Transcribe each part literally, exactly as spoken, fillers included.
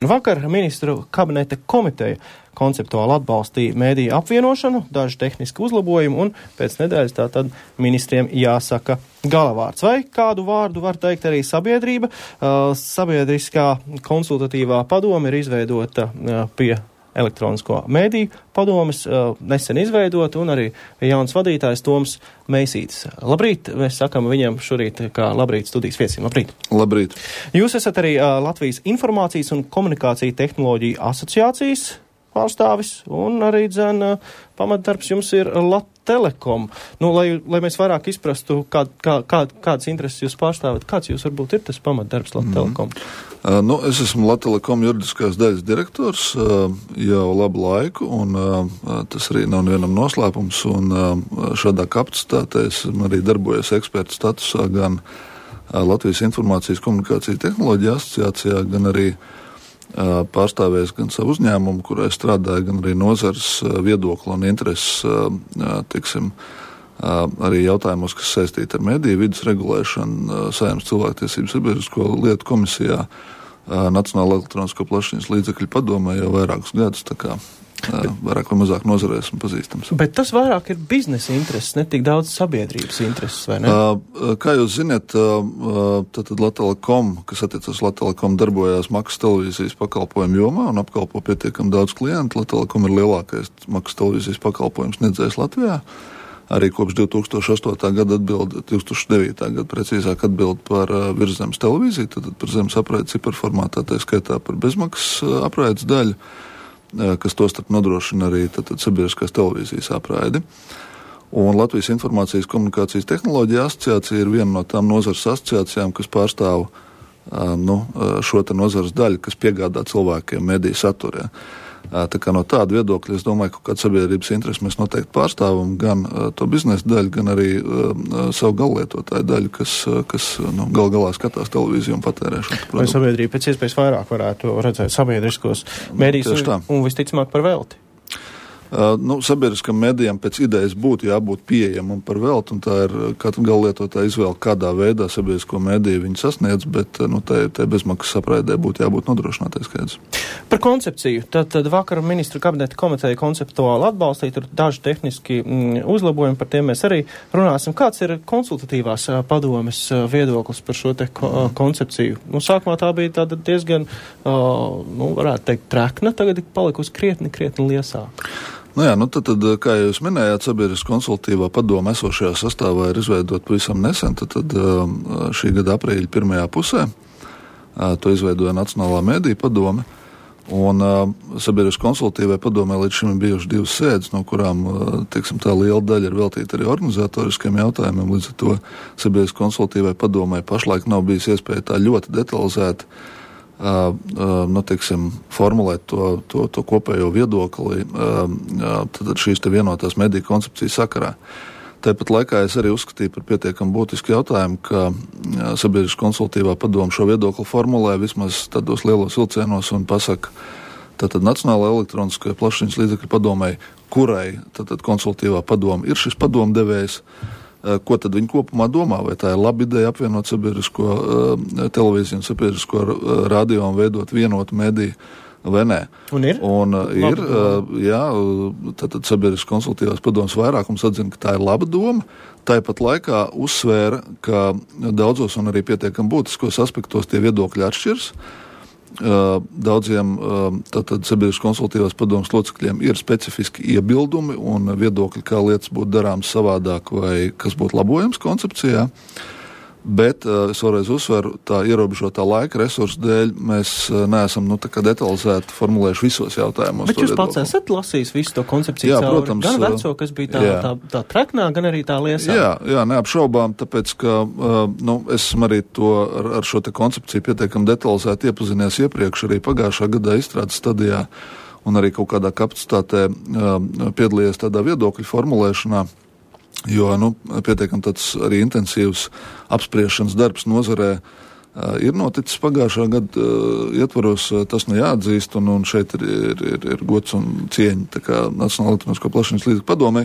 Vakar ministru kabineta komiteja konceptuāli atbalstīja mēdīju apvienošanu, daži tehniski uzlabojumi, un pēc nedēļas tātad ministriem jāsaka galavārds. Vai kādu vārdu var teikt arī sabiedrība? Uh, sabiedriskā konsultatīvā padome ir izveidota uh, pie elektronisko mēdīju padomes, uh, nesen izveidota, un arī jauns vadītājs Toms Meisītis. Labrīt, mēs sakam viņam šorīt kā labrīt studijas viesim. Labrīt. Labrīt. Jūs esat arī uh, Latvijas Informācijas un komunikāciju tehnoloģiju asociācijas pārstāvis, un arī, dzen, pamatdarbs jums ir Latelekom. Nu, lai, lai mēs vairāk izprastu, kā, kā, kā, kādas intereses jūs pārstāvat, kāds jūs varbūt ir tas pamatdarbs Latelekom? Mm. Uh, nu, es esmu Latelekom juridiskās daļas direktors uh, jau labu laiku, un uh, tas arī nav nevienam noslēpums, un uh, šādā kapacitātē esmu arī darbojies eksperta statusā gan uh, Latvijas Informācijas komunikāciju tehnoloģiju asociācijā, gan arī pārstāvējis gan savu uzņēmumu, kurā es strādāju, gan arī nozares viedokli un intereses, tiksim, arī jautājumos, kas saistīti ar mediju vidas regulēšanu, Saeimas cilvēktiesību sabiedrisko lietu komisijā, Nacionāla elektronisko plašsaziņas līdzekļu padomē jau vairākus gadus, tā kā bet, vairāk vai mazāk nozarē esmu pazīstams. Bet tas vairāk ir biznesa intereses, ne tik daudz sabiedrības intereses, vai ne? Uh, kā jūs ziniet, uh, tad Latelekom, kas attiecas Latelekom, darbojās maksas televīzijas pakalpojumu jomā un apkalpo pietiekam daudz klientu. Latelekom ir lielākais maksas televīzijas pakalpojums sniedzējs Latvijā. Arī kopš divi tūkstoši astotā gada atbild, divi tūkstoši devītā gada precīzāk atbild par uh, virszemes televīziju, tad par zemes apraides ciparformātā, tā skaitā par bezmaksas uh, apraides daļu, kas tostarp nodrošina arī tātad sabiedriskās televīzijas apraidi. Un Latvijas Informācijas komunikācijas tehnoloģija asociācija ir viena no tām nozares asociācijām, kas pārstāv nu, šo te nozares daļu, kas piegādā cilvēkiem mediju saturē. Tā kā no tāda viedokļa, es domāju, ka kāda sabiedrības interesi mēs noteikti pārstāvam gan uh, to biznesa daļu, gan arī uh, savu gallietotāju daļu, kas, uh, kas nu, gal galā skatās televīziju un patērē šo produktu. Vai sabiedrība pēc iespējas vairāk varētu redzēt sabiedriskos mēdījus un, un visticamāk par velti? Uh, nu, sabiedriskam mēdījam pēc idejas būtu jābūt pieejamam par velti, un tā ir katra gallietotāja izvēle, kādā veidā sabiedrisko mēdīju viņi sasniedz, bet nu, tai, tai bezmaksas apraidē būtu jābūt nodrošinātai skaidrs. Par koncepciju. Tad, tad vakar ministru kabineta komiteja konceptuāli atbalstīja, tur daži tehniski mm, uzlabojumi, par tiem mēs arī runāsim. Kāds ir konsultatīvās padomes viedoklis par šo te ko, koncepciju? Nu, sākumā tā bija tāda diezgan, uh, nu, varētu teikt, trekna, tagad ir palikusi krietni, krietni liesāka. Nu jā, nu tad, tad, kā jūs minējāt, sabiedriskā konsultatīvā padome esošajā sastāvā ir izveidot pavisam nesen, tad, tad šī gada aprīļa pirmajā pusē to izveidoja Nacionālā mēdīju padome, un sabiedriskā konsultatīvai padomē līdz šim ir bijuši divas sēdes, no kurām, teiksim, tā liela daļa ir veltīta arī organizatoriskiem jautājumiem, līdz ar to sabiedriskā konsultatīvai padomē pašlaik nav bijis iespēja tā ļoti detalizēti Uh, uh, nu, teiksim, formulēt to, to, to kopējo viedokli uh, tad šīs te vienotās mediju koncepcijas sakarā. Tāpat laikā es arī uzskatīju par pietiekam būtisku jautājumu, ka uh, sabiedriskā konsultatīvā padome šo viedokli formulē vismaz tādos lielos vilcienos un pasaka, tātad Nacionālajai elektroniskajai plašsaziņas līdzekļu padomei, kurai tātad konsultatīvā padome ir šis padomdevējs, ko tad viņi kopumā domā, vai tā ir laba ideja apvienot sabiedrisko uh, televīziju un sabiedrisko uh, radio un veidot vienotu mediju, vai nē. Un ir? Un uh, ir, uh, jā, tātad sabiedriskās konsultatīvās padomes vairākums atzina, ka tā ir laba doma, tāpat laikā uzsvēra, ka daudzos un arī pietiekam būtiskos aspektos tie viedokļi atšķirs. Uh, daudziem uh, tātad sabiedriskās konsultatīvās padomes locekļiem ir specifiski iebildumi un viedokļi, kā lietas būtu darāmas savādāk vai kas būtu labojams koncepcijā. Bet uh, es vēlreiz uzsveru, tā ierobežotā laika resursu dēļ mēs uh, neesam nu, tā kā detalizēti formulējuši visos jautājumos. Bet jūs pats esat lasījis visu to koncepciju jā, cauri, protams, gan veco, kas bija tā, tā, tā treknā, gan arī tā liesā. Jā, jā, neapšaubām, tāpēc, ka uh, nu, esmu arī to ar, ar šo te koncepciju pietiekam detalizēti iepazinies iepriekš arī pagājušā gadā izstrādes stadijā un arī kaut kādā kapacitātē uh, piedalījies tādā viedokļu formulēšanā. Jo, nu, pietiekam tāds arī intensīvs apspriešanas darbs nozarē uh, ir noticis pagājušā gada uh, ietvaros, uh, tas nu jāatzīst, un, un šeit ir, ir, ir, ir gods un cieņa tā kā Nacionāla elektronisko plašsaziņas līdzekļu padomei.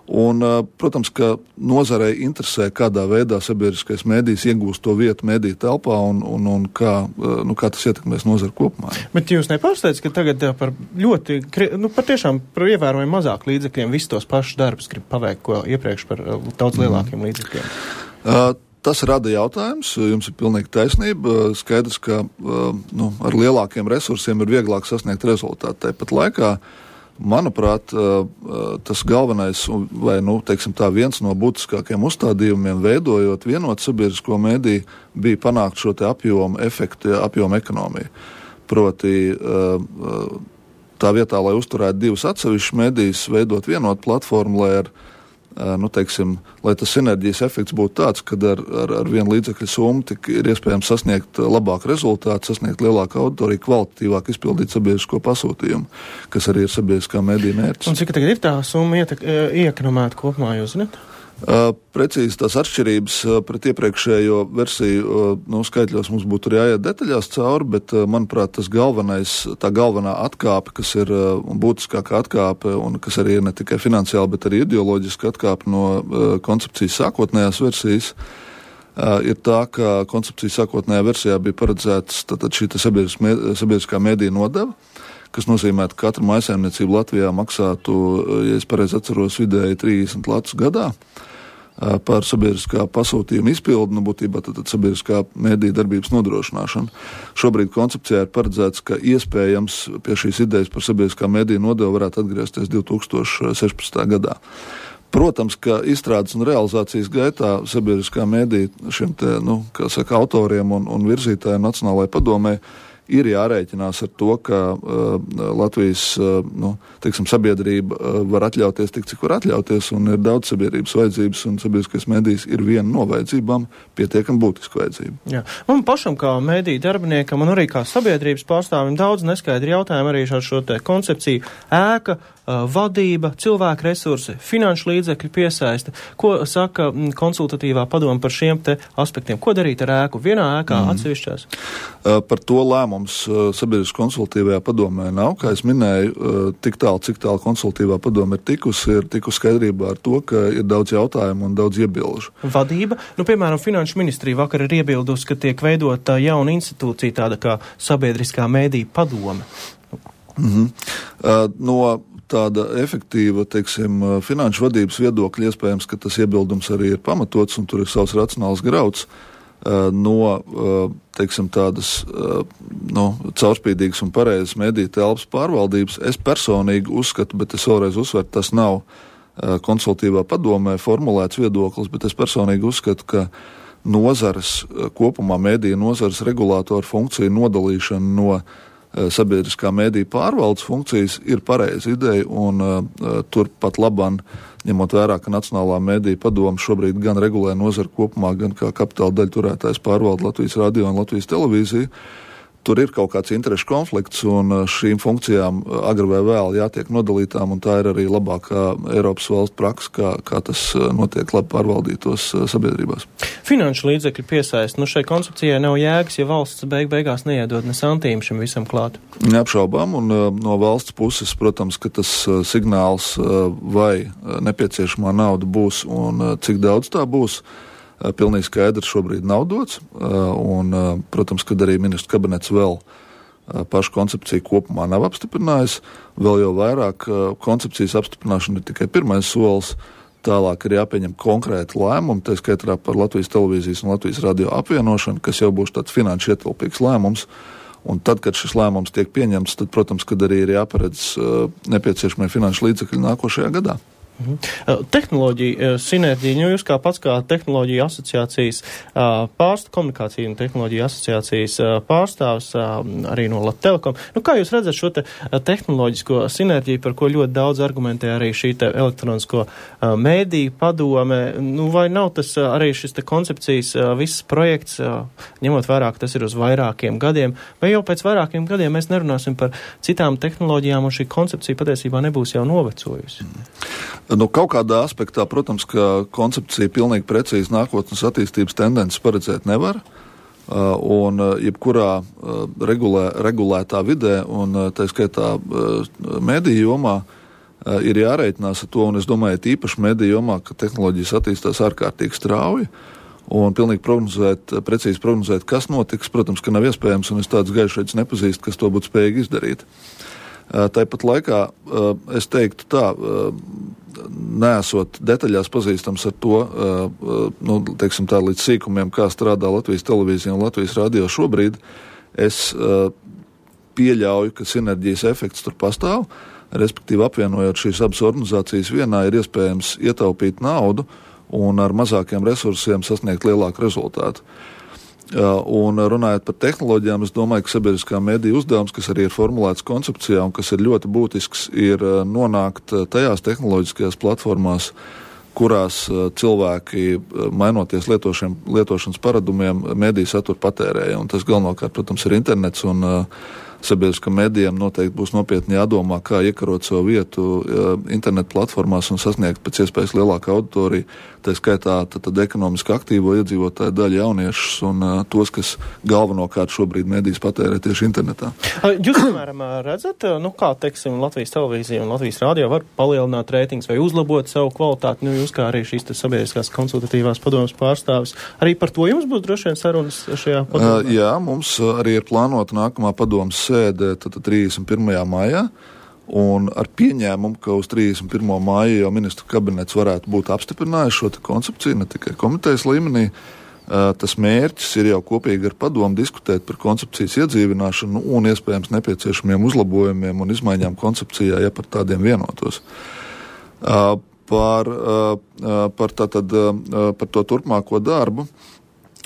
Un, protams, ka nozarei interesē, kādā veidā sabiedriskais mēdījis iegūst to vietu mēdīju telpā un, un, un kā, nu, kā tas ietekmēs nozaru kopumā. Bet jūs nepārsteidz, ka tagad par ļoti, nu, par tiešām par ievērojami mazāk līdzekļiem visus tos pašus darbus grib paveikt, ko iepriekš par daudz lielākiem mm. līdzekļiem? Uh, Tas rada jautājums, jums ir pilnīgi taisnība. Skaidrs, ka nu, ar lielākiem resursiem ir vieglāk sasniegt rezultātu. Tāpat laikā, manuprāt, tas galvenais, vai nu, teiksim tā, viens no būtiskākiem uzstādījumiem, veidojot vienotu sabiedrisko mēdīju, bija panākt šo te apjomu efektu, apjomu ekonomiju. Proti, tā vietā, lai uzturētu divus atsevišķus mēdījus, veidot vienotu platformu, lai ar Nu, teiksim, lai tas sinerģijas efekts būtu tāds, ka ar, ar, ar vienu līdzekļu summu tik ir iespējams sasniegt labāku rezultātu, sasniegt lielāku auditoriju, kvalitatīvāk izpildīt sabiedrisko pasūtījumu, kas arī ir sabiedriskā mēdīja mērķis. Un cik tagad ir tā summa iekonomēta kopumā, jūs zināt? Uh, precīzi tās atšķirības uh, pret iepriekšējo versiju, uh, nu, skaitļos mums būtu arī jāiet detaļās cauri, bet, uh, manuprāt, tas galvenais, tā galvenā atkāpe, kas ir uh, būtiskākā atkāpe un kas arī ir ne tikai finansiāli, bet arī ideoloģiski atkāpe no uh, koncepcijas sākotnējās versijas, uh, ir tā, ka koncepcijas sākotnējā versijā bija paredzēts tātad šī sabiedriskā mēdīja nodeva, kas nozīmē, ka katra mājsaimniecība Latvijā maksātu, ja es pareizi atceros, vidēji trīsdesmit latus gadā par sabiedriskā pasūtījuma izpildu, nu būtībā tad sabiedriskā mēdīja darbības nodrošināšanu. Šobrīd koncepcijā ir paredzēts, ka iespējams pie šīs idejas par sabiedriskā mēdīja nodevu varētu atgriezties divi tūkstoši sešpadsmitajā gadā. Protams, ka izstrādes un realizācijas gaitā sabiedriskā mēdīja šiem te, nu, kā saka, autoriem un, un virzītājiem Nacionālajai padomei ir jārēķinās ar to, ka uh, Latvijas uh, nu, teiksim, sabiedrība uh, var atļauties tik, cik var atļauties, un ir daudz sabiedrības vajadzības, un sabiedriskais mēdījis ir viena no vajadzībām, pietiekami būtiska vajadzība. Jā. Man pašam kā mēdīju darbiniekam un arī kā sabiedrības pārstāvim daudz neskaidri jautājumi arī ar šo te koncepciju ēka, uh, vadība, cilvēku resursi, finanšu līdzekļu piesaiste. Ko saka konsultatīvā padoma par šiem te aspektiem? Ko darīt ar ēku? Vienā ēkā, mm. atsevišķās? Uh, par to lēmumu Mums sabiedriskā konsultatīvajā padomē nav, kā es minēju, tik tālu, cik tālu konsultatīvā padome ir tikusi, ir tikusi skaidrībā ar to, ka ir daudz jautājumu un daudz iebilžu. Vadība, nu, piemēram, Finanšu ministrija vakar ir iebildusi, ka tiek veidota jauna institūcija, tāda kā sabiedriskā mēdīja padome. Mhm. Uh, no tāda efektīva, teiksim, finanšu vadības viedokļa iespējams, ka tas iebildums arī ir pamatots un tur ir savs racionāls grauds. No, teiksim, tādas no, caurspīdīgas un pareizas mediju telpas pārvaldības. Es personīgi uzskatu, bet es vēlreiz uzsveru, tas nav konsultatīvā padomē formulēts viedoklis, bet es personīgi uzskatu, ka nozares kopumā mediju nozares regulātoru funkciju nodalīšana no sabiedriskā mediju pārvaldes funkcijas ir pareiza ideja, un uh, tur pat laban, ņemot vērā, ka Nacionālā mediju padome šobrīd gan regulē nozaru kopumā, gan kā kapitāla daļu turētājs pārvalda Latvijas radio un Latvijas televīziju, tur ir kaut kāds interešu konflikts, un šīm funkcijām agri vai vēl jātiek nodalītām, un tā ir arī labākā Eiropas valsts praksa, kā, kā tas notiek labi pārvaldītos sabiedrībās. Finanšu līdzekļu piesaist, nu šai koncepcijai nav jēgas, ja valsts beig beigās neiedod ne santīmu šim visam klāt. Neapšaubām, un no valsts puses, protams, ka tas signāls, vai nepieciešamā nauda būs un cik daudz tā būs, pilnīgi skaidrs šobrīd nav dots, un, protams, kad arī ministrs kabinets vēl pašu koncepciju kopumā nav apstiprinājis, vēl jau vairāk koncepcijas apstiprināšana ir tikai pirmais solis, tālāk ir jāpieņem konkrēti lēmumi, tā skaitā par Latvijas televīzijas un Latvijas radio apvienošanu, kas jau būs tāds finanšu ietilpīgs lēmums, un tad, kad šis lēmums tiek pieņemts, tad, protams, kad arī ir jāparedz nepieciešamie finanšu līdzekļi nākošajā gadā. Mhm. Tehnoloģija sinerģija, nu jūs kā pats kā tehnoloģija asociācijas pārstāvs, komunikācija un tehnoloģija asociācijas pārstāvs arī no Latelekom. Nu kā jūs redzat šo te tehnoloģisko sinerģiju, par ko ļoti daudz argumentē arī šī te elektronisko mēdīju padome, nu vai nav tas arī šis te koncepcijas viss projekts, ņemot vērā, ka tas ir uz vairākiem gadiem, vai jau pēc vairākiem gadiem mēs nerunāsim par citām tehnoloģijām un šī koncepcija patiesībā nebūs jau novecojusi? Nu, kaut kādā aspektā, protams, ka koncepcija pilnīgi precīzi nākotnes attīstības tendences paredzēt nevar, un jebkurā regulē, regulētā vidē, un tā skaitā mediju jomā, ir jārēķinās ar to, un es domāju, īpaši mediju jomā, ka tehnoloģijas attīstās ārkārtīgi strauji, un pilnīgi prognozēt, precīzi prognozēt, kas notiks, protams, ka nav iespējams, un es tāds gaišreiz nepazīstu, kas to būtu spējīgi izdarīt. Tāpat laikā es teiktu tā, neesot detaļās pazīstams ar to, nu, teiksim tā, līdz sīkumiem, kā strādā Latvijas televīzija un Latvijas radio šobrīd, es pieļauju, ka sinerģijas efekts tur pastāv, respektīvi apvienojot šīs abas organizācijas vienā ir iespējams ietaupīt naudu un ar mazākiem resursiem sasniegt lielāku rezultātu. Un runājot par tehnoloģijām, es domāju, ka sabiedriskā mediju uzdevums, kas arī ir formulēts koncepcijā un kas ir ļoti būtisks, ir nonākt tajās tehnoloģiskajās platformās, kurās cilvēki, mainoties lietošiem, lietošanas paradumiem, mediju saturu patērēja. Un tas galvenokārt, protams, ir internets un sabiedriskam medijam noteikti būs nopietni jādomā, kā iekarot savu vietu internetu platformās un sasniegt pēc iespējas lielāku auditoriju, tā skaitā tad, tad ekonomiski aktīvo iedzīvotāju daļu jauniešus un uh, tos, kas galvenokārt šobrīd medijas patērē tieši internetā. Jūs, piemēram, redzat, nu kā, teiksim, Latvijas televīzija un Latvijas radio var palielināt reitingus vai uzlabot savu kvalitāti, nu jūs kā arī šīs sabiedriskās konsultatīvās padomas pārstāvis, arī par to jums būs droši vien sarunas šajā padomā? Uh, jā, mums arī ir plānota nākamā padomas sēde trīsdesmit pirmajā maijā, un ar pieņēmumu, ka uz trīsdesmit pirmo māju jau ministru kabinets varētu būt apstiprinājis šo te koncepciju, ne tikai komitejas līmenī. Tas mērķis ir jau kopīgi ar padomu diskutēt par koncepcijas iedzīvināšanu un iespējams nepieciešamiem uzlabojumiem un izmaiņām koncepcijā, ja par tādiem vienotos. Par, par, tātad, par to turpmāko darbu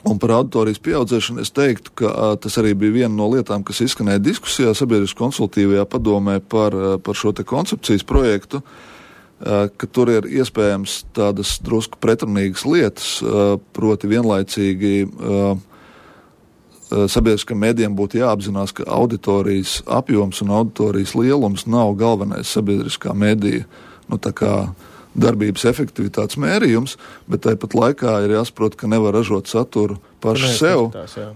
un par auditorijas pieaudzēšanu es teiktu, ka a, tas arī bija viena no lietām, kas izskanēja diskusijā sabiedriskā konsultīvajā padomē par, par šo te koncepcijas projektu, a, ka tur ir iespējams tādas drusku pretrunīgas lietas, a, proti vienlaicīgi a, sabiedriskam medijam būtu jāapzinās, ka auditorijas apjoms un auditorijas lielums nav galvenais sabiedriskā medija, nu tā kā darbības efektivitātes mērījums, bet tāpat laikā ir jāsaprot, ka nevar ražot saturu paši sev,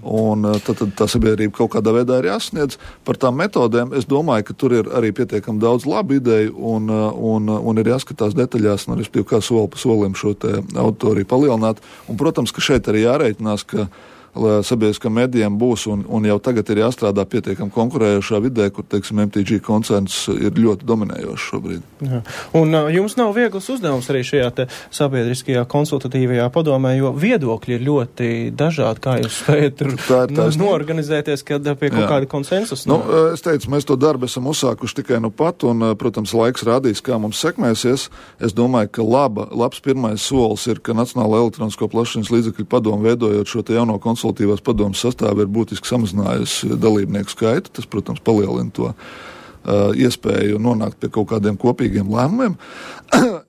un tad, tad tā sabiedrība kaut kādā veidā ir jāsniedz. Par tām metodēm es domāju, ka tur ir arī pietiekami daudz labu ideju, un, un, un ir jāskatās detaļās, un respektīvi kā soli pa solim šo te auditoriju palielināt. Un, protams, ka šeit arī jārēķinās, ka sabiedriskam medijam būs un, un jau tagad ir jāstrādā pietiekam konkurējošā vidē, kur, teiksim, M T G koncerns ir ļoti dominējošs šobrīd. Jā. Un uh, jums nav viegls uzdevums arī šajā te sabiedriskajā konsultatīvajā padomē, jo viedokļi ir ļoti dažādi, kā jūs spējat tur nu, noorganizēties, kad pie kaut kāda konsensus. Nu, es teicu, mēs to darbu esam uzsākuši tikai nu pat, un, protams, laiks rādīs, kā mums sekmēsies. Es domāju, ka laba, labs pirmais solis ir, ka Nacionālā elektronisko plašsaziņas līdzekļu padomu veidojot šo te jauno konsultāciju konsultatīvās padomas sastāvi ir būtiski samazinājusi dalībnieku skaitu. Tas, protams, palielina to uh, iespēju nonākt pie kaut kādiem kopīgiem lēmumiem.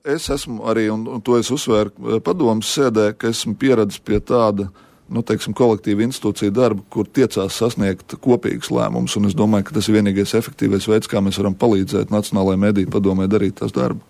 Es esmu arī, un, un to es uzsvēru padomas sēdē, ka esmu pieredzis pie tāda, nu, teiksim, kolektīva institūcija darba, kur tiecās sasniegt kopīgus lēmumus, un es domāju, ka tas ir vienīgais efektīvais veids, kā mēs varam palīdzēt Nacionālajai mediju padomē darīt tās darbu.